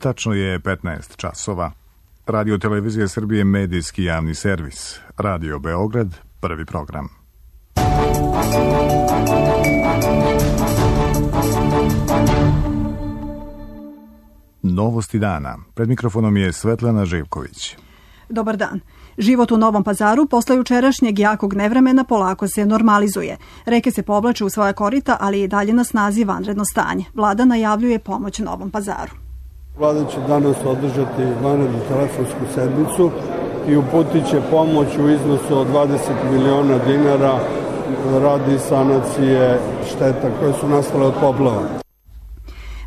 Tačno je 15 časova. Radio Televizija Srbije, medijski javni servis. Radio Beograd, prvi program. Novosti dana. Pred mikrofonom je Svetlana Živković. Dobar dan. Život u Novom Pazaru posle jučerašnjeg jakog nevremena polako se normalizuje. Reke se povlače u svoja korita, ali i dalje na snazi vanredno stanje. Vlada najavljuje pomoć Novom Pazaru. Vlada će danas održati vanrednu telefonsku sednicu i uputit će pomoć u iznosu od 20 miliona dinara radi sanacije šteta koje su nastale od poplava.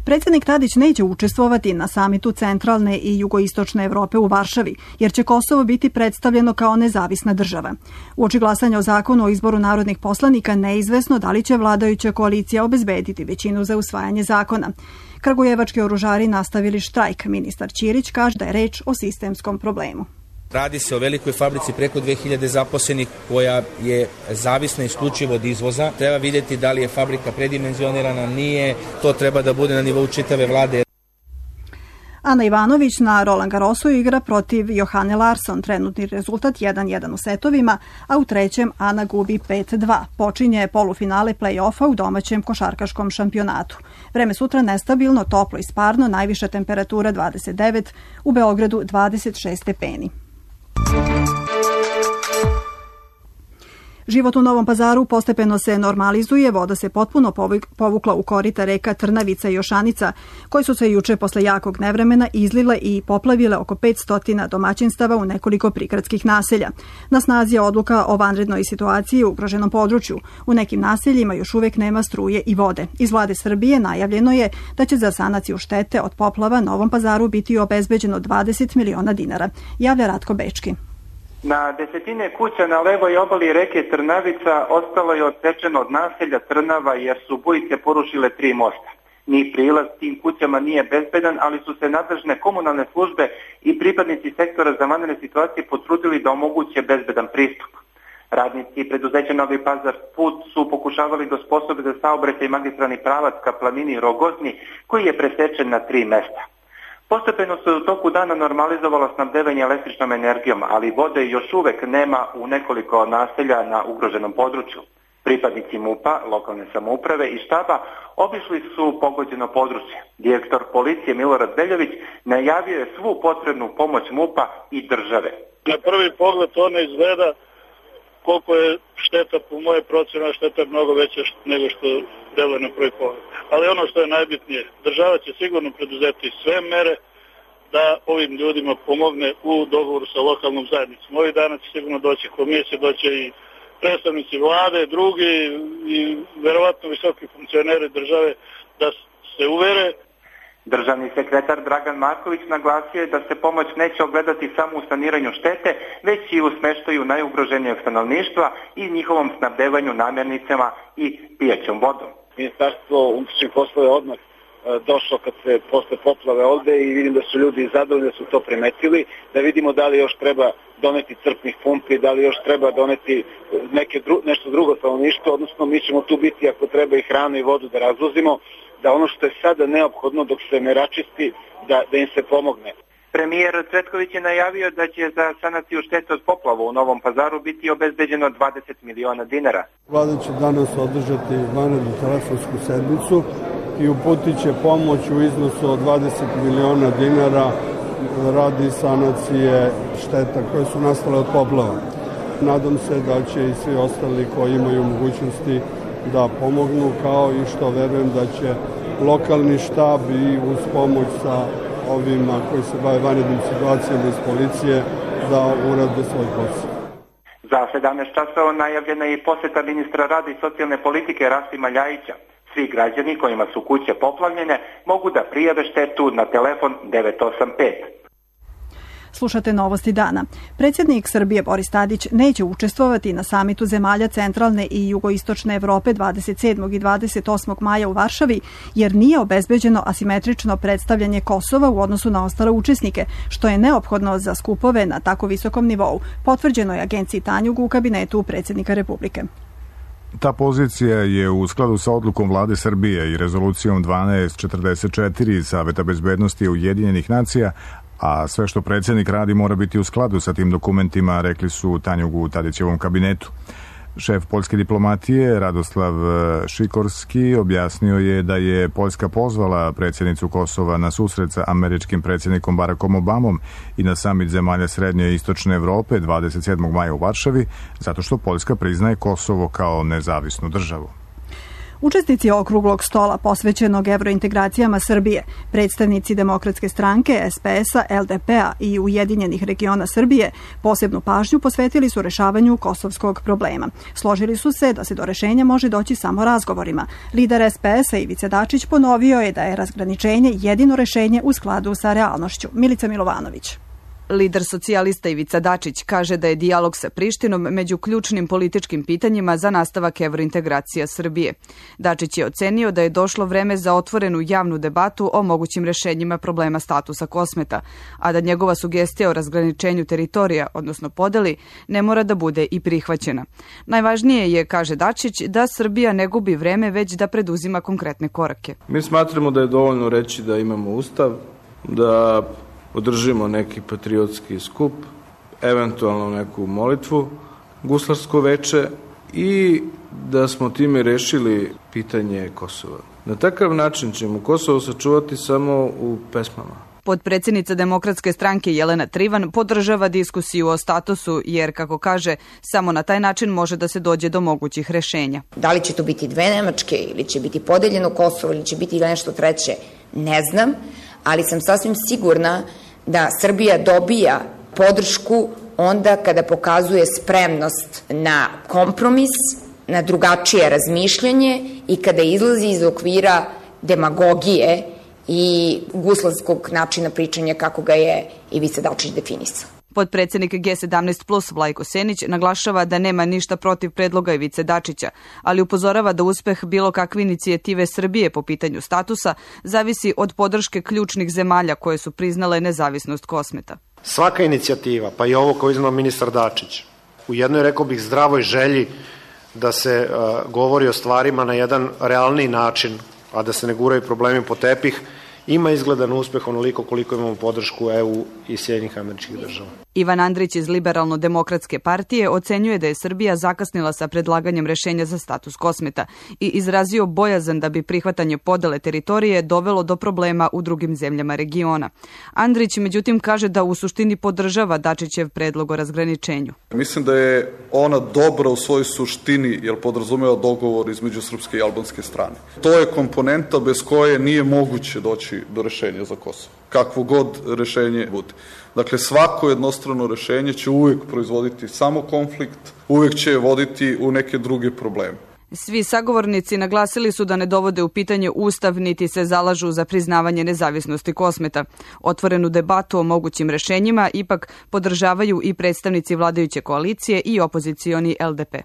Predsjednik Tadić neće učestvovati na samitu centralne i jugoistočne Evrope u Varšavi, jer će Kosovo biti predstavljeno kao nezavisna država. Uoči glasanja o zakonu o izboru narodnih poslanika neizvesno da li će vladajuća koalicija obezbediti većinu za usvajanje zakona. Kragujevački oružari nastavili štrajk. Ministar Ćirić kaže da je reč o sistemskom problemu. Radi se o velikoj fabrici preko 2000 zaposlenih koja je zavisna isključivo od izvoza. Treba vidjeti da li je fabrika predimenzionirana, nije. To treba da bude na nivou čitave vlade. Ana Ivanović na Roland Garrosu igra protiv Johane Larsson. Trenutni rezultat 1-1 u setovima, a u trećem Ana gubi 5-2. Počinje polufinale play-offa u domaćem košarkaškom šampionatu. Vreme sutra nestabilno, toplo i sparno, najviša temperatura 29, u Beogradu 26 stepeni. Život u Novom Pazaru postepeno se normalizuje, voda se potpuno povukla u korita reka Trnavica i Jošanica, koje su se juče posle jakog nevremena izlile i poplavile oko 500 domaćinstava u nekoliko prigradskih naselja. Na snazi je odluka o vanrednoj situaciji u ugroženom području. U nekim naseljima još uvek nema struje i vode. Iz vlade Srbije najavljeno je da će za sanaciju štete od poplava Novom Pazaru biti obezbeđeno 20 miliona dinara, javlja Ratko Bečki. Na desetine kuća na levoj obali reke Trnavica ostalo je odsečeno od naselja Trnava jer su bujice porušile 3 mosta. Ni prilaz tim kućama nije bezbedan, ali su se nadležne komunalne službe i pripadnici sektora za vanredne situacije potrudili da omoguće bezbedan pristup. Radnici preduzeća Novi Pazar put su pokušavali da osposobe za saobraćaj magistralni pravac ka planini Rogozni, koji je presečen na 3 mesta. Postepeno se u toku dana normalizovalo snabdevanje električnom energijom, ali vode još uvek nema u nekoliko naselja na ugroženom području. Pripadnici MUP-a, lokalne samouprave i štaba obišli su pogođeno područje. Direktor policije Milorad Veljović najavio je svu potrebnu pomoć MUP-a i države. Na prvi pogled to ne izgleda koliko je šteta, po moje procjene, šteta je mnogo veća nego što deluje na prvi pogled. Ali ono što je najbitnije, država će sigurno preduzeti sve mere da ovim ljudima pomogne u dogovoru sa lokalnom zajednicom. Ovih dana će sigurno doći komisije, doće i predstavnici vlade, drugi i verovatno visoki funkcioneri države da se uvere. Državni sekretar Dragan Marković naglasio je da se pomoć neće ogledati samo u saniranju štete, već i u smeštaju najugroženijeg stanovništva i njihovom snabdevanju namirnicama i pijaćom vodom. Ministarstvo unutrašnjih poslova je odmah došlo kad se posle poplave ovde i vidim da su ljudi zadovoljni, da su to primetili, da vidimo da li još treba doneti crpnih pumpi, da li još treba doneti nešto drugo stanovništvo, odnosno mi ćemo tu biti ako treba i hranu i vodu da razvozimo, da ono što je sada neophodno dok se ne račisti, da im se pomogne. Premijer Cvetković je najavio da će za sanaciju štete od poplava u Novom Pazaru biti obezbeđeno 20 miliona dinara. Vlada će danas održati vanrednu telefonsku sednicu i uputit će pomoć u iznosu od 20 miliona dinara radi sanacije šteta koje su nastale od poplava. Nadam se da će i svi ostali koji imaju mogućnosti da pomognu, kao i što verujem da će lokalni štab i uz pomoć sa ovima koji se bave vanrednim situacijama iz policije da urade svoj posao. Za 17 časova najavljena je i poseta ministra rada i socijalne politike Rasima Ljajića. Svi građani kojima su kuće poplavljene mogu da prijave štetu na telefon 985. Slušate Novosti dana. Predsjednik Srbije Boris Tadić neće učestvovati na samitu zemalja centralne i jugoistočne Evrope 27. i 28. maja u Varšavi, jer nije obezbeđeno asimetrično predstavljanje Kosova u odnosu na ostale učesnike, što je neophodno za skupove na tako visokom nivou, potvrđeno je agenciji Tanjug u kabinetu predsjednika Republike. Ta pozicija je u skladu sa odlukom vlade Srbije i rezolucijom 1244 Saveta bezbednosti Ujedinjenih nacija, a sve što predsjednik radi mora biti u skladu sa tim dokumentima, rekli su Tanjugu u Tadićevom kabinetu. Šef poljske diplomatije Radoslav Šikorski objasnio je da je Poljska pozvala predsjednicu Kosova na susret sa američkim predsjednikom Barackom Obamom i na samit zemalja Srednje i Istočne Evrope 27. maja u Varšavi, zato što Poljska priznaje Kosovo kao nezavisnu državu. Učesnici okruglog stola posvećenog evrointegracijama Srbije, predstavnici Demokratske stranke, SPS-a, LDP-a i Ujedinjenih regiona Srbije posebnu pažnju posvetili su rešavanju kosovskog problema. Složili su se da se do rešenja može doći samo razgovorima. Lider SPS-a Ivica Dačić ponovio je da je razgraničenje jedino rešenje u skladu sa realnošću. Milica Milovanović. Lider socijalista Ivica Dačić kaže da je dijalog sa Prištinom među ključnim političkim pitanjima za nastavak evrointegracija Srbije. Dačić je ocenio da je došlo vreme za otvorenu javnu debatu o mogućim rešenjima problema statusa Kosmeta, a da njegova sugestija o razgraničenju teritorija, odnosno podeli, ne mora da bude i prihvaćena. Najvažnije je, kaže Dačić, da Srbija ne gubi vreme, već da preduzima konkretne korake. Mi smatramo da je dovoljno reći da imamo ustav, da održimo neki patriotski skup, eventualno neku molitvu, guslarsko veče i da smo time rešili pitanje Kosova. Na takav način ćemo Kosovo sačuvati samo u pesmama. Potpredsjednica Demokratske stranke Jelena Trivan podržava diskusiju o statusu jer, kako kaže, samo na taj način može da se dođe do mogućih rešenja. Da li će to biti dve Nemačke ili će biti podeljeno Kosovo ili će biti nešto treće, ne znam, ali sam sasvim sigurna da Srbija dobija podršku onda kada pokazuje spremnost na kompromis, na drugačije razmišljanje i kada izlazi iz okvira demagogije i guslarskog načina pričanja kako ga je Ivica Dačić definisao. Potpredsjednik G17 plus Vlajko Senić naglašava da nema ništa protiv predloga Ivice Dačića, ali upozorava da uspeh bilo kakve inicijative Srbije po pitanju statusa zavisi od podrške ključnih zemalja koje su priznale nezavisnost Kosmeta. Svaka inicijativa, pa i ovo koju iznao ministar Dačić, u jednoj, rekao bih, zdravoj želji da se govori o stvarima na jedan realniji način, a da se ne guraju problemi po tepih, ima izgledan uspeh onoliko koliko imamo podršku EU i Sjedinjenih Američkih Država. Ivan Andrić iz Liberalno-demokratske partije ocenjuje da je Srbija zakasnila sa predlaganjem rešenja za status Kosmeta i izrazio bojazan da bi prihvatanje podele teritorije dovelo do problema u drugim zemljama regiona. Andrić, međutim, kaže da u suštini podržava Dačićev predlog o razgraničenju. Mislim da je ona dobra u svojoj suštini jer podrazumeva dogovor između srpske i albanske strane. To je komponenta bez koje nije moguće doći do rešenja za Kosovo. Kakvo god rešenje bude. Dakle, svako jednostrano rešenje će uvijek proizvoditi samo konflikt, uvijek će voditi u neke druge probleme. Svi sagovornici naglasili su da ne dovode u pitanje ustav niti se zalažu za priznavanje nezavisnosti Kosmeta. Otvorenu debatu o mogućim rešenjima ipak podržavaju i predstavnici vladajuće koalicije i opozicioni LDP.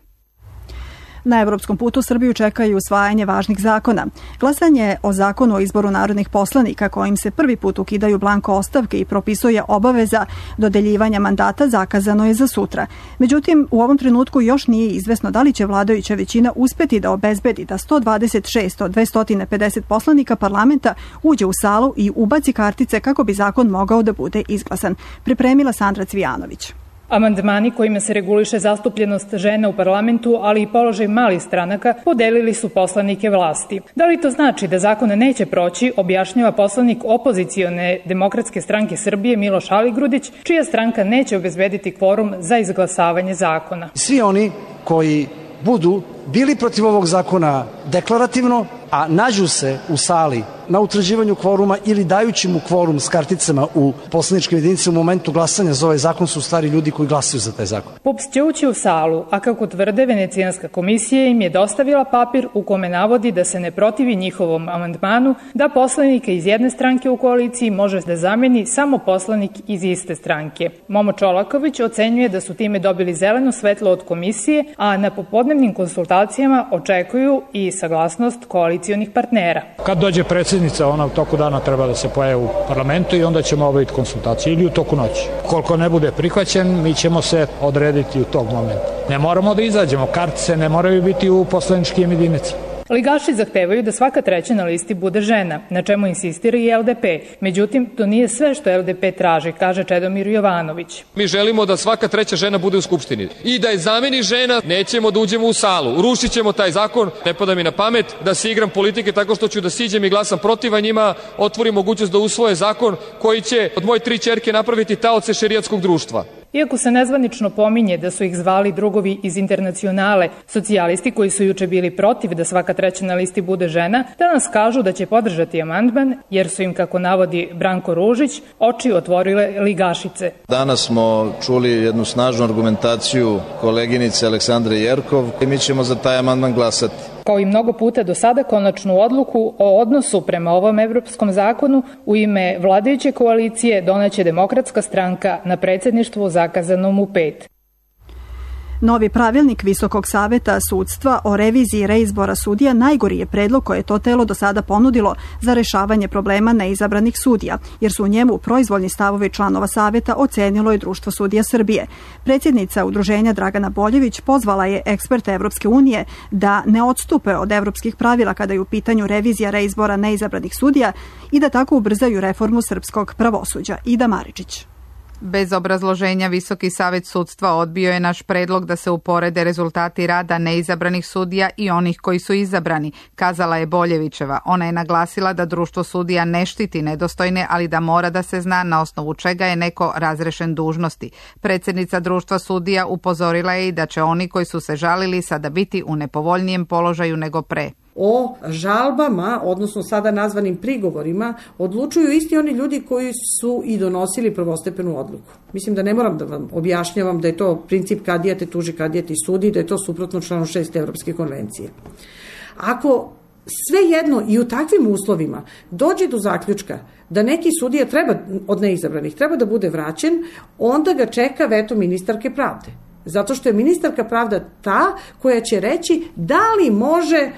Na evropskom putu Srbiju čekaju usvajanje važnih zakona. Glasanje o zakonu o izboru narodnih poslanika kojim se prvi put ukidaju blanko ostavke i propisuje obaveza dodeljivanja mandata zakazano je za sutra. Međutim, u ovom trenutku još nije izvesno da li će vladajuća većina uspeti da obezbedi da 126 od 250 poslanika parlamenta uđe u salu i ubaci kartice kako bi zakon mogao da bude izglasan. Pripremila Sandra Cvijanović. Amandmani kojima se reguliše zastupljenost žena u parlamentu, ali i položaj malih stranaka, podelili su poslanike vlasti. Da li to znači da zakon neće proći, objašnjava poslanik opozicione Demokratske stranke Srbije Miloš Aligrudić, čija stranka neće obezbediti kvorum za izglasavanje zakona. Svi oni koji budu bili protiv ovog zakona deklarativno, a nađu se u sali na utvrđivanju kvoruma ili dajući mu kvorum s karticama u poslaničkim jedinicama u momentu glasanja za ovaj zakon su stari ljudi koji glasaju za taj zakon. PUPS će ući u salu, a kako tvrde Venecijanska komisija im je dostavila papir u kome navodi da se ne protivi njihovom amandmanu da poslanika iz jedne stranke u koaliciji može da zameni samo poslanik iz iste stranke. Momo Čolaković ocenjuje da su time dobili zeleno svetlo od komisije, a na popodnevnim konsultacijama očekuju i saglasnost koalicionih partnera. Kad dođe predsjednik predsjednica, ona u toku dana treba da se pojavi u parlamentu i onda ćemo obaviti konsultacije ili u toku noći. Koliko ne bude prihvaćen, mi ćemo se odrediti u tog momenta. Ne moramo da izađemo, kartice ne moraju biti u poslaničkim jedinicama. Ligaši zahtevaju da svaka treća na listi bude žena, na čemu insistira i LDP. Međutim, to nije sve što LDP traži, kaže Čedomir Jovanović. Mi želimo da svaka treća žena bude u Skupštini i da je zameni žena, nećemo da uđemo u salu. Rušit ćemo taj zakon, ne pada mi na pamet da se igram politike tako što ću da siđem i glasam protiv, a njima otvori mogućnost da usvoje zakon koji će od moje 3 ćerke napraviti taoce šerijatskog društva. Iako se nezvanično pominje da su ih zvali drugovi iz Internacionale, socijalisti koji su juče bili protiv da svaka treća na listi bude žena, danas kažu da će podržati amandman jer su im, kako navodi Branko Ružić, oči otvorile ligašice. Danas smo čuli jednu snažnu argumentaciju koleginice Aleksandre Jerkov i mi ćemo za taj amandman glasati. Kao i mnogo puta do sada, konačnu odluku o odnosu prema ovom evropskom zakonu u ime vladajuće koalicije doneće Demokratska stranka na predsjedništvu zakazanom u 5. Novi pravilnik Visokog saveta sudstva o reviziji reizbora sudija najgori je predlog koje je to telo do sada ponudilo za rešavanje problema neizabranih sudija, jer su u njemu proizvoljni stavovi članova saveta ocenilo je Društvo sudija Srbije. Predsjednica udruženja Dragana Boljević pozvala je eksperte Evropske unije da ne odstupe od evropskih pravila kada je u pitanju revizija reizbora neizabranih sudija i da tako ubrzaju reformu srpskog pravosuđa. Ida Maričić. Bez obrazloženja Visoki savet sudstva odbio je naš predlog da se uporede rezultati rada neizabranih sudija i onih koji su izabrani, kazala je Boljevićeva. Ona je naglasila da Društvo sudija ne štiti nedostojne, ali da mora da se zna na osnovu čega je neko razrešen dužnosti. Predsjednica Društva sudija upozorila je i da će oni koji su se žalili sada biti u nepovoljnijem položaju nego pre. O žalbama, odnosno sada nazvanim prigovorima, odlučuju isti oni ljudi koji su i donosili prvostepenu odluku. Mislim da ne moram da vam objašnjavam da je to princip kadija te tuži, kadija ti sudi, da je to suprotno članu 6. Evropske konvencije. Ako svejedno i u takvim uslovima dođe do zaključka da neki sudija treba, od neizabranih treba da bude vraćen, onda ga čeka veto ministarke pravde. Zato što je ministarka pravda ta koja će reći da li može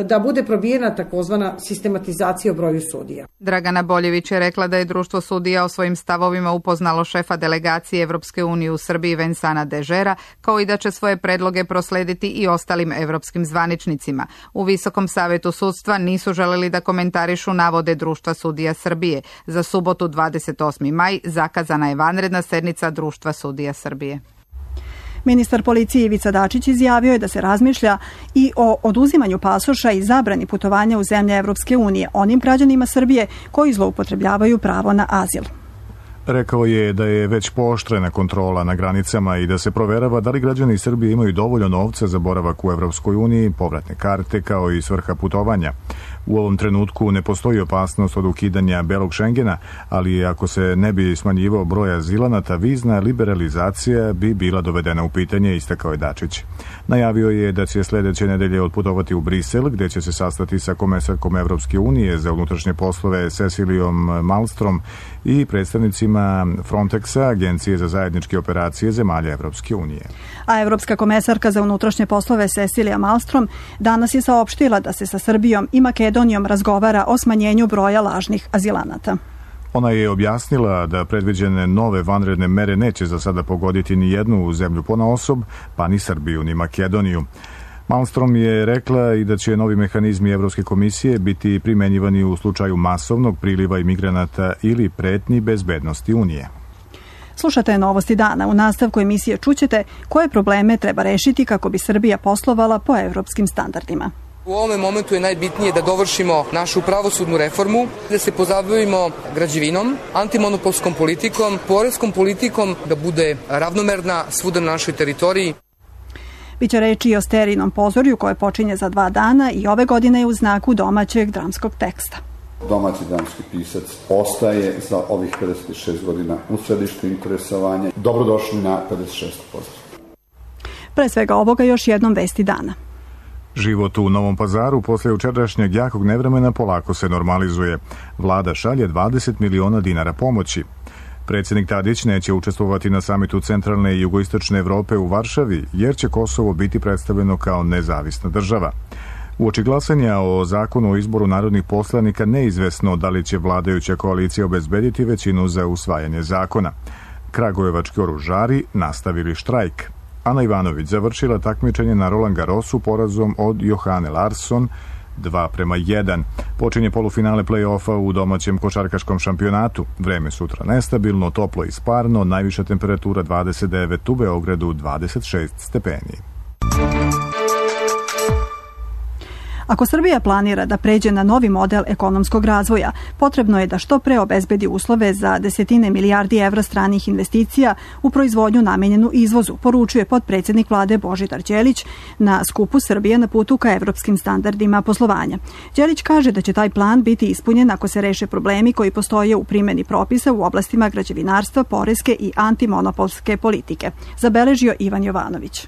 da bude probijena takozvana sistematizacija o broju sudija. Dragana Boljević je rekla da je Društvo sudija o svojim stavovima upoznalo šefa delegacije Evropske unije u Srbiji Vensana Dežera, kao i da će svoje predloge proslediti i ostalim evropskim zvaničnicima. U Visokom savetu sudstva nisu želeli da komentarišu navode Društva sudija Srbije. Za subotu 28. maj zakazana je vanredna sednica Društva sudija Srbije. Ministar policije Ivica Dačić izjavio je da se razmišlja i o oduzimanju pasoša i zabrani putovanja u zemlje Evropske unije onim građanima Srbije koji zloupotrebljavaju pravo na azil. Rekao je da je već pooštrena kontrola na granicama i da se proverava da li građani Srbije imaju dovoljno novca za boravak u Evropskoj uniji, povratne karte kao i svrha putovanja. U ovom trenutku ne postoji opasnost od ukidanja belog Šengena, ali ako se ne bi smanjivao broj azilanata, vizna liberalizacija bi bila dovedena u pitanje, istakao je Dačić. Najavio je da će sljedeće nedelje otputovati u Brisel, gdje će se sastati sa komesarkom Evropske unije za unutrašnje poslove Cecilijom Malmstrom i predstavnicima Frontexa, Agencije za zajedničke operacije zemalja Evropske unije. A Evropska komesarka za unutrašnje poslove Cecilija Malmstrom danas je saopštila da se sa Srbijom i Makedonijom razgovara o smanjenju broja lažnih azilanata. Ona je objasnila da predviđene nove vanredne mere neće za sada pogoditi ni jednu zemlju ponaosob, pa ni Srbiju ni Makedoniju. Malmstrom je rekla i da će novi mehanizmi Evropske komisije biti primenjivani u slučaju masovnog priliva imigranata ili pretnji bezbednosti Unije. Slušate Novosti dana. U nastavku emisije čućete koje probleme treba rešiti kako bi Srbija poslovala po evropskim standardima. U ovom momentu je najbitnije da dovršimo našu pravosudnu reformu, da se pozabavimo građevinom, antimonopolskom politikom, poreskom politikom, da bude ravnomerna svuda na našoj teritoriji. Biće reči i o Sterinom pozorju koje počinje za 2 dana i ove godine je u znaku domaćeg dramskog teksta. Domaći dramski pisac ostaje za ovih 56 godina u središtu interesovanja. Dobrodošli na 56. pozor. Pre svega ovoga još jednom vesti dana. Život u Novom Pazaru posle jučerašnjeg jakog nevremena polako se normalizuje. Vlada šalje 20 miliona dinara pomoći. Predsjednik Tadić neće učestvovati na samitu Centralne i Jugoistočne Evrope u Varšavi, jer će Kosovo biti predstavljeno kao nezavisna država. Uoči glasanja o zakonu o izboru narodnih poslanika neizvesno da li će vladajuća koalicija obezbediti većinu za usvajanje zakona. Kragujevački oružari nastavili štrajk. Ana Ivanović završila takmičenje na Roland Garrosu porazom od Johane Larsson 2:1. Počinje polufinale play-offa u domaćem košarkaškom šampionatu. Vreme sutra nestabilno, toplo i sparno, najviša temperatura 29, u Beogradu 26 stepeni. Ako Srbija planira da pređe na novi model ekonomskog razvoja, potrebno je da što pre obezbedi uslove za desetine milijardi evra stranih investicija u proizvodnju namenjenu izvozu, poručuje potpredsjednik vlade Božidar Đelić na skupu Srbije na putu ka evropskim standardima poslovanja. Đelić kaže da će taj plan biti ispunjen ako se reše problemi koji postoje u primjeni propisa u oblastima građevinarstva, poreske i antimonopolske politike, zabeležio Ivan Jovanović.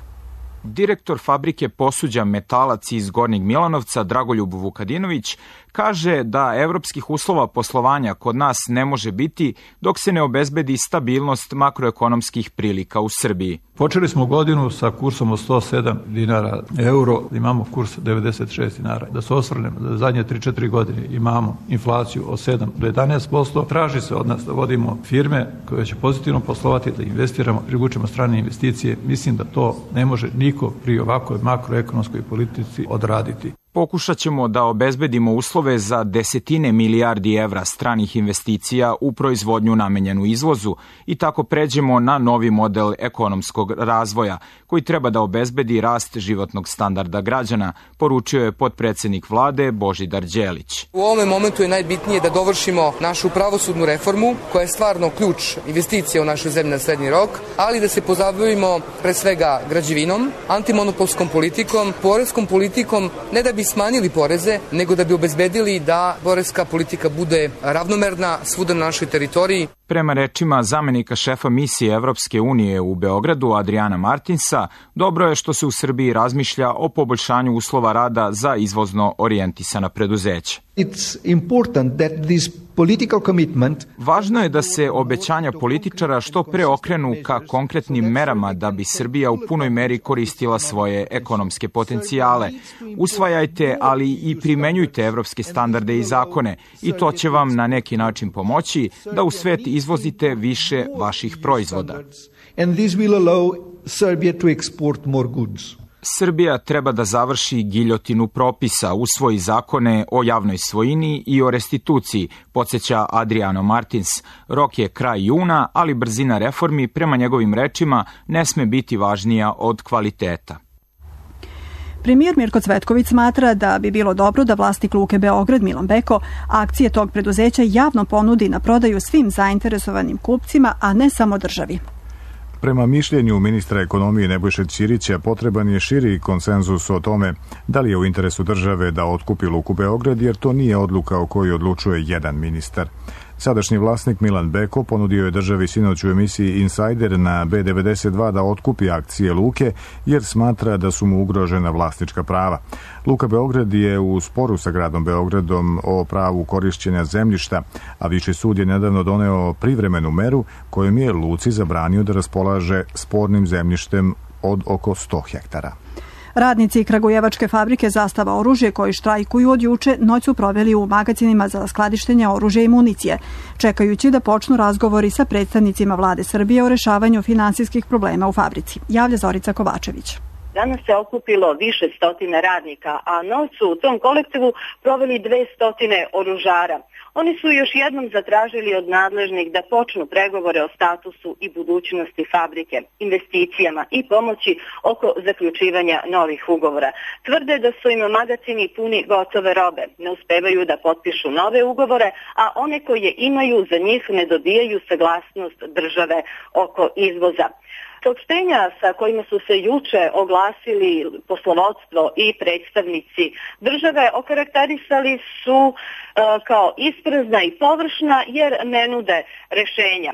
Direktor fabrike posuđa Metalac iz Gornjeg Milanovca, Dragoljub Vukadinović, kaže da evropskih uslova poslovanja kod nas ne može biti dok se ne obezbedi stabilnost makroekonomskih prilika u Srbiji. Počeli smo godinu sa kursom od 107 dinara euro, imamo kurs 96 dinara. Da se osvrnemo da zadnje 3-4 godine imamo inflaciju od 7 do 11%. Traži se od nas da vodimo firme koje će pozitivno poslovati, da investiramo, privučemo strane investicije. Mislim da to ne može niko pri ovakvoj makroekonomskoj politici odraditi. Pokušat ćemo da obezbedimo uslove za desetine milijardi evra stranih investicija u proizvodnju namenjenu izvozu i tako pređemo na novi model ekonomskog razvoja koji treba da obezbedi rast životnog standarda građana, poručio je potpredsjednik vlade Božidar Đelić. U ovom momentu je najbitnije da dovršimo našu pravosudnu reformu koja je stvarno ključ investicija u našoj zemlji na srednji rok, ali da se pozabavimo pre svega građevinom, antimonopolskom politikom, poreskom politikom, ne da bi smanjili poreze, nego da bi obezbedili da poreska politika bude ravnomerna svuda na našoj teritoriji. Prema rečima zamenika šefa misije Evropske unije u Beogradu Adriana Martinsa, dobro je što se u Srbiji razmišlja o poboljšanju uslova rada za izvozno orijentisana preduzeća. Važno je da se obećanja političara što pre okrenu ka konkretnim merama da bi Srbija u punoj meri koristila svoje ekonomske potencijale. Usvajajte, ali i primenjujte evropske standarde i zakone i to će vam na neki način pomoći da u svet izvozite više vaših proizvoda. Srbija treba da završi giljotinu propisa, usvoji zakone o javnoj svojini i o restituciji, podsjeća Adriano Martins. Rok je kraj juna, ali brzina reformi, prema njegovim rečima, ne sme biti važnija od kvaliteta. Premijer Mirko Cvetković smatra da bi bilo dobro da vlasnik Luke Beograd Milan Beko akcije tog preduzeća javno ponudi na prodaju svim zainteresovanim kupcima, a ne samo državi. Prema mišljenju ministra ekonomije Nebojše Ćirića, potreban je širi konsenzus o tome da li je u interesu države da otkupi Luku Beograd, jer to nije odluka o kojoj odlučuje jedan ministar. Sadašnji vlasnik Milan Beko ponudio je državi sinoć u emisiji Insider na B92 da otkupi akcije Luke, jer smatra da su mu ugrožena vlasnička prava. Luka Beograd je u sporu sa gradom Beogradom o pravu korišćenja zemljišta, a Viši sud je nedavno doneo privremenu meru kojom je Luci zabranio da raspolaže spornim zemljištem od oko 100 hektara. Radnici Kragujevačke fabrike Zastava oružje koji štrajkuju od juče noć su proveli u magazinima za skladištenje oružja i municije, čekajući da počnu razgovori sa predstavnicima vlade Srbije o rešavanju finansijskih problema u fabrici. Javlja Zorica Kovačević. Danas se okupilo više stotine radnika, a noć su u tom kolektivu proveli 200 oružara. Oni su još jednom zatražili od nadležnih da počnu pregovore o statusu i budućnosti fabrike, investicijama i pomoći oko zaključivanja novih ugovora. Tvrde da su im magacini puni gotove robe, ne uspevaju da potpišu nove ugovore, a one koje imaju za njih ne dobijaju saglasnost države oko izvoza. Saopštenja sa kojima su se juče oglasili poslovodstvo i predstavnici države okarakterisali su kao isprazna i površna jer ne nude rešenja.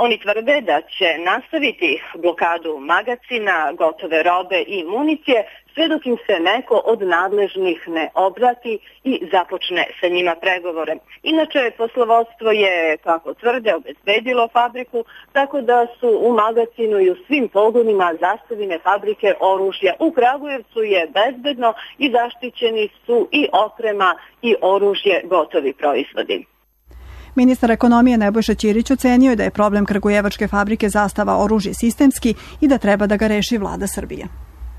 Oni tvrde da će nastaviti blokadu magacina, gotove robe i municije sve dok im se neko od nadležnih ne obrati i započne sa njima pregovore. Inače, poslovodstvo je, kako tvrde, obezbedilo fabriku, tako da su u magacinu i u svim pogonima zastavljene fabrike oružja. U Kragujevcu je bezbedno i zaštićeni su i oprema i oružje, gotovi proizvodi. Ministar ekonomije Nebojša Ćirić ocenio je da je problem kragujevačke fabrike Zastava oružje sistemski i da treba da ga reši vlada Srbije.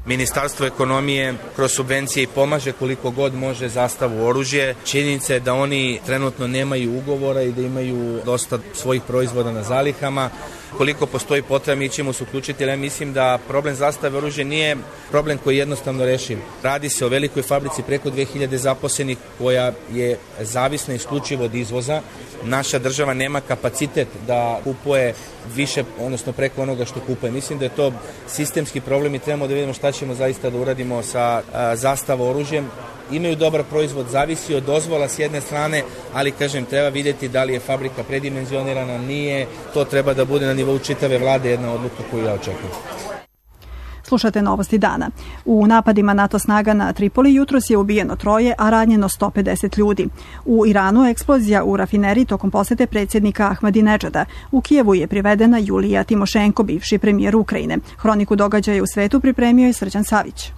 Ministarstvo ekonomije kroz subvencije i pomaže koliko god može Zastavu oružje. Činjenica je da oni trenutno nemaju ugovora i da imaju dosta svojih proizvoda na zalihama. Koliko postoji potreba, mi ćemo se uključiti, ali ja mislim da problem Zastave oružje nije problem koji je jednostavno rešiv. Radi se o velikoj fabrici preko 2000 zaposlenih koja je zavisna isključivo od izvoza. Naša država nema kapacitet da kupuje više, odnosno preko onoga što kupuje. Mislim da je to sistemski problem i trebamo da vidimo šta ćemo zaista da uradimo sa Zastavom oružjem. Imaju dobar proizvod, zavisi od dozvola s jedne strane, ali kažem, treba vidjeti da li je fabrika predimenzionirana, nije. To treba da bude na nivou čitave vlade jedna odluka koju ja očekujem. Slušate novosti dana. U napadima NATO snaga na Tripoli jutros je ubijeno 3, a ranjeno 150 ljudi. U Iranu eksplozija u rafineriji tokom posete predsjednika Ahmadinedžada. U Kijevu je privedena Julija Timošenko, bivši premijer Ukrajine. Hroniku događaja u svetu pripremio je Srđan Savić.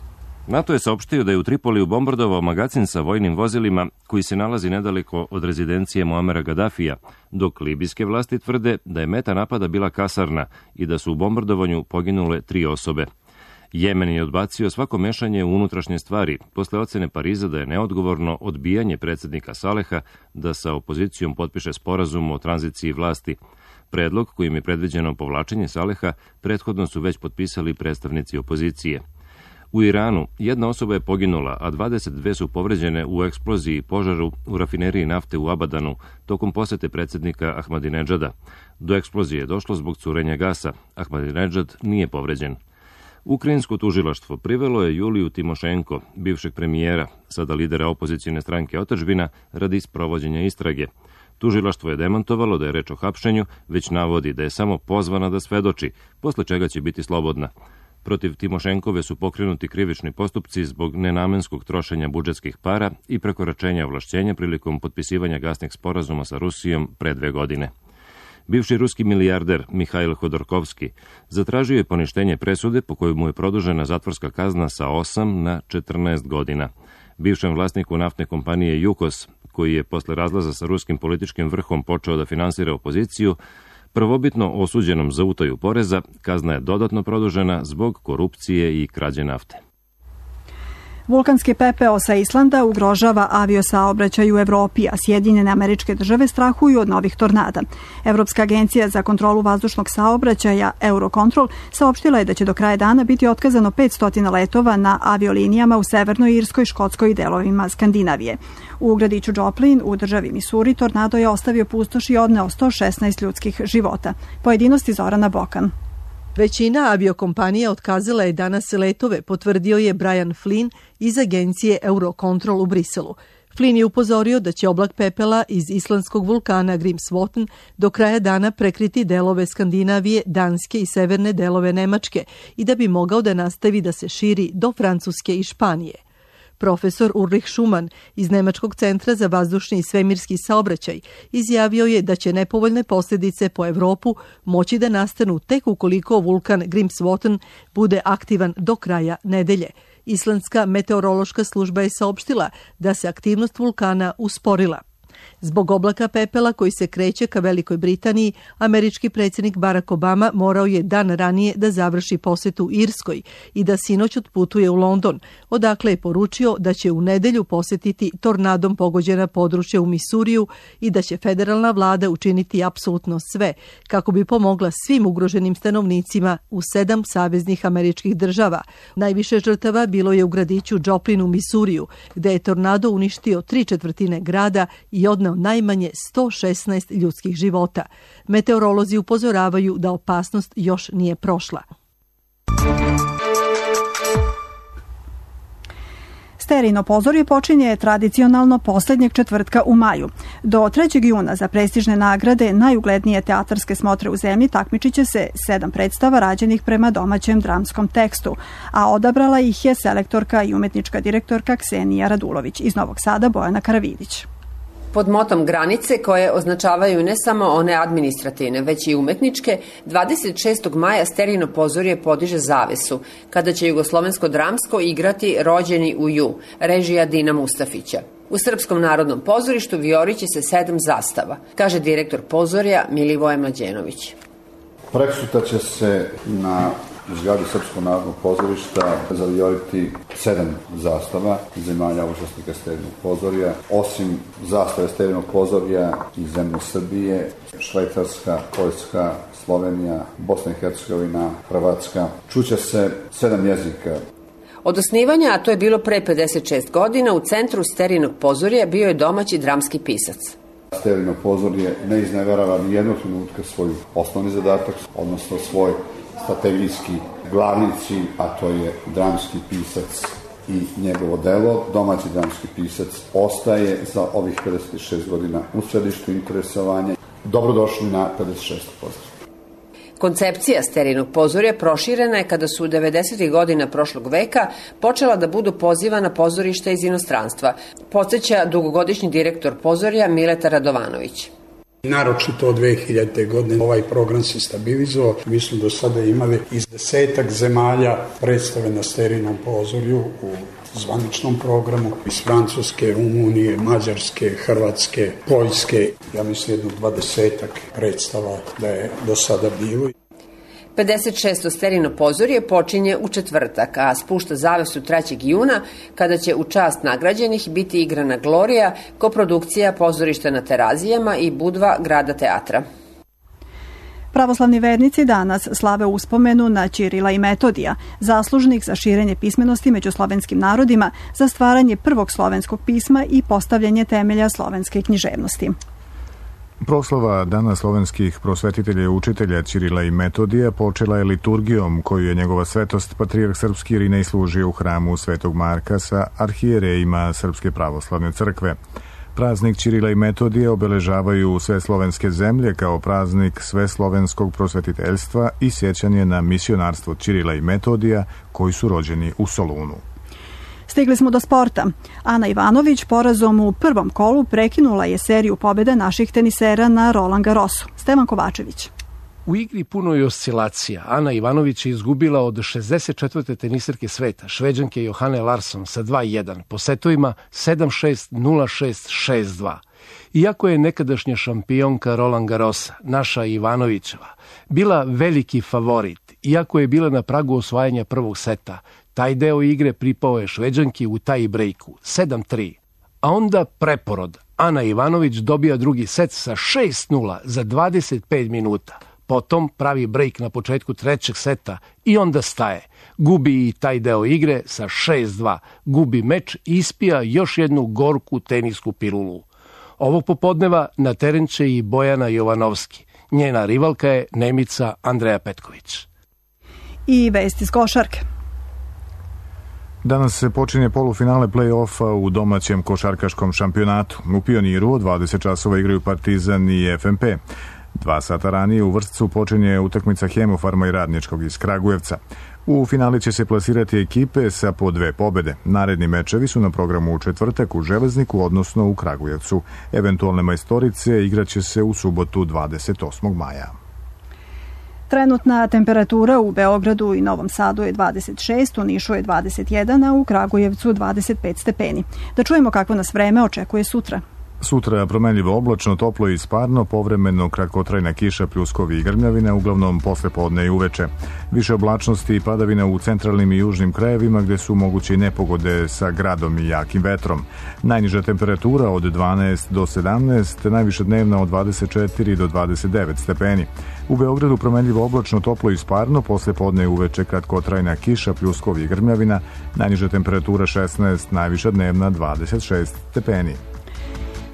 NATO je saopštio da je u Tripoliju bombardovao magacin sa vojnim vozilima koji se nalazi nedaleko od rezidencije Muamera Gadafija, dok libijske vlasti tvrde da je meta napada bila kasarna i da su u bombardovanju poginule 3 osobe. Jemen je odbacio svako mešanje u unutrašnje stvari posle ocene Pariza da je neodgovorno odbijanje predsjednika Saleha da sa opozicijom potpiše sporazum o tranziciji vlasti. Predlog kojim je predviđeno povlačenje Saleha prethodno su već potpisali predstavnici opozicije. U Iranu 1 osoba je poginula, a 22 su povređene u eksploziji i požaru u rafineriji nafte u Abadanu tokom posete predsjednika Ahmadinedžada. Do eksplozije je došlo zbog curenja gasa. Ahmadinedžad nije povređen. Ukrajinsko tužilaštvo privelo je Juliju Timošenko, bivšeg premijera, sada lidera opozicijne stranke Otadžbina, radi sprovođenja istrage. Tužilaštvo je demantovalo da je reč o hapšenju, već navodi da je samo pozvana da svedoči, posle čega će biti slobodna. Protiv Timošenkove su pokrenuti krivični postupci zbog nenamenskog trošenja budžetskih para i prekoračenja ovlašćenja prilikom potpisivanja gasnih sporazuma sa Rusijom pre 2 godine. Bivši ruski milijarder Mihail Hodorkovski zatražio je poništenje presude po kojoj mu je produžena zatvorska kazna sa 8 na 14 godina. Bivšem vlasniku naftne kompanije Jukos, koji je posle razlaza sa ruskim političkim vrhom počeo da finansira opoziciju, prvobitno osuđenom za utaju poreza, kazna je dodatno produžena zbog korupcije i krađe nafte. Vulkanski pepeo sa Islanda ugrožava aviosaobraćaj u Evropi, a Sjedinjene Američke Države strahuju od novih tornada. Evropska agencija za kontrolu vazdušnog saobraćaja Eurocontrol saopštila je da će do kraja dana biti otkazano 500 letova na aviolinijama u Severnoj Irskoj, Škotskoj i delovima Skandinavije. U gradiću Joplin u državi Misuri tornado je ostavio pustoš i odneo 116 ljudskih života. Pojedinosti Zorana Bokan. Većina aviokompanija otkazala je danas letove, potvrdio je Brian Flynn iz agencije Eurocontrol u Briselu. Flynn je upozorio da će oblak pepela iz islandskog vulkana Grímsvötn do kraja dana prekriti delove Skandinavije, Danske i severne delove Nemačke i da bi mogao da nastavi da se širi do Francuske i Španije. Profesor Ulrich Schumann iz Nemačkog centra za vazdušni i svemirski saobraćaj izjavio je da će nepovoljne posljedice po Evropu moći da nastanu tek ukoliko vulkan Grímsvötn bude aktivan do kraja nedelje. Islandska meteorološka služba je saopštila da se aktivnost vulkana usporila. Zbog oblaka pepela koji se kreće ka Velikoj Britaniji, američki predsjednik Barack Obama morao je dan ranije da završi posetu Irskoj i da sinoć otputuje u London, odakle je poručio da će u nedelju posetiti tornadom pogođena područja u Misuriju i da će federalna vlada učiniti apsolutno sve kako bi pomogla svim ugroženim stanovnicima u 7 saveznih američkih država. Najviše žrtava bilo je u gradiću Joplin u Misuriju, gde je tornado uništio 3/4 grada i odneo najmanje 116 ljudskih života. Meteorolozi upozoravaju da opasnost još nije prošla. Sterijino pozorje počinje tradicionalno posljednjeg četvrtka u maju. Do 3. juna za prestižne nagrade najuglednije teatarske smotre u zemlji takmičit će se 7 predstava rađenih prema domaćem dramskom tekstu, a odabrala ih je selektorka i umetnička direktorka Ksenija Radulović. Iz Novog Sada Bojana Karavidić. Pod motom granice, koje označavaju ne samo one administrativne, već i umetničke, 26. maja Sterijino pozorje podiže zavesu, kada će Jugoslovensko dramsko igrati Rođeni u ju, režija Dina Mustafića. U Srpskom narodnom pozorištu vijoriće se 7 zastava, kaže direktor pozorja Milivoje Mlađenović. Preksutra će se na zgradi Srpskog narodnog pozorišta zavijoriti 7 zastava zemalja učesnika Sterinog pozorja. Osim zastave Sterinog pozorja i zemlje Srbije, Švajcarska, Poljska, Slovenija, Bosna i Hercegovina, Hrvatska. Čuće se 7 jezika. Od osnivanja, a to je bilo pre 56 godina, u centru Sterinog pozorja bio je domaći dramski pisac. Sterijino pozorje ne izneverava ni jednog trenutka svoj osnovni zadatak, odnosno svoj strategijski glavni cilj, a to je dramski pisac i njegovo delo. Domaći dramski pisac ostaje za ovih 56 godina u središtu interesovanja. Dobrodošli na 56%. Koncepcija Sterinog pozorja proširena je kada su u 90. godina prošlog veka počela da budu pozivana pozorišta iz inostranstva, podsjeća dugogodišnji direktor pozorja Mileta Radovanović. Naročito od 2000. godine ovaj program se stabilizovao. Mi smo do sada imali iz 10 zemalja predstave na Sterinom pozorju u zvaničnom programu, iz Francuske, Rumunije, Mađarske, Hrvatske, Poljske. Ja mislim jedno 20 predstava da je do sada bilo. 56. Sterino pozorje počinje u četvrtak, a spušta zavesu 3. juna, kada će u čast nagrađenih biti igrana Glorija, koprodukcija Pozorišta na Terazijama i Budva Grada teatra. Pravoslavni vernici danas slave uspomenu na Ćirila i Metodija, zaslužnih za širenje pismenosti među slovenskim narodima, za stvaranje prvog slovenskog pisma i postavljanje temelja slovenske književnosti. Proslava Dana slovenskih prosvetitelja i učitelja Ćirila i Metodija počela je liturgijom koju je njegova svetost patrijarh srpski Irinej služio u hramu Svetog Marka sa arhijerejima Srpske pravoslavne crkve. Praznik Ćirila i Metodija obeležavaju sve slovenske zemlje kao praznik sveslovenskog prosvetiteljstva i sjećanje na misionarstvo Ćirila i Metodija koji su rođeni u Solunu. Stigli smo do sporta. Ana Ivanović porazom u prvom kolu prekinula je seriju pobjede naših tenisera na Roland Garrosu. Stevan Kovačević. U igri punoj oscilacija Ana Ivanović je izgubila od 64. teniserke sveta, Šveđanke Johane Larsson sa 2-1 po setovima 7-6, 0-6, 6-2. Iako je nekadašnja šampionka Roland Garrosa, naša Ivanovićeva, bila veliki favorit, iako je bila na pragu osvajanja prvog seta, taj deo igre pripao je Šveđanki u taj brejku 7-3. A onda preporod. Ana Ivanović dobija drugi set sa 6-0 za 25 minuta. Potom pravi brejk na početku trećeg seta i onda staje. Gubi i taj deo igre sa 6-2. Gubi meč i ispija još jednu gorku tenisku pilulu. Ovog popodneva na teren će i Bojana Jovanovski. Njena rivalka je Nemica Andreja Petković. I vesti iz košarke. Danas se počinje polufinale play-offa u domaćem košarkaškom šampionatu. U Pioniru od 20 časova igraju Partizan i FNP. 2 sata ranije u Vršcu počinje utakmica Hemofarma i Radničkog iz Kragujevca. U finali će se plasirati ekipe sa po 2 pobede. Naredni mečevi su na programu u četvrtak u Železniku, odnosno u Kragujevcu. Eventualne majstorice igraće se u subotu 28. maja. Trenutna temperatura u Beogradu i Novom Sadu je 26, u Nišu je 21, a u Kragujevcu 25 stepeni. Da čujemo kako nas vreme očekuje sutra. Sutra promenljivo oblačno, toplo i sparno, povremeno kratkotrajna kiša, pljuskovi i grmljavine, uglavnom posle podne i uveče. Više oblačnosti i padavina u centralnim i južnim krajevima gde su moguće i nepogode sa gradom i jakim vetrom. Najniža temperatura od 12 do 17, najviša dnevna od 24 do 29 stepeni. U Beogradu promenljivo oblačno, toplo i sparno, posle podne i uveče kratkotrajna kiša, pljuskovi i grmljavina, najniža temperatura 16, najviša dnevna 26 stepeni.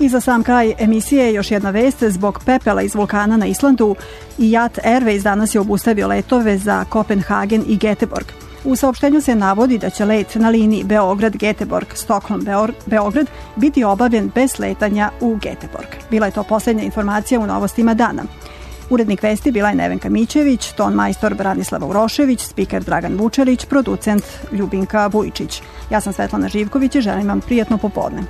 I za sam kraj emisije još jedna vest. Zbog pepela iz vulkana na Islandu i JAT Airways danas je obustavio letove za Kopenhagen i Göteborg. U saopštenju se navodi da će let na liniji Beograd-Geteborg, Stockholm-Beograd biti obavljen bez sletanja u Geteborg. Bila je to posljednja informacija u novostima dana. Urednik vesti bila je Nevenka Mićević, ton majstor Branislava Urošević, spiker Dragan Vučelić, producent Ljubinka Vujičić. Ja sam Svetlana Živković i želim vam prijatno popodne.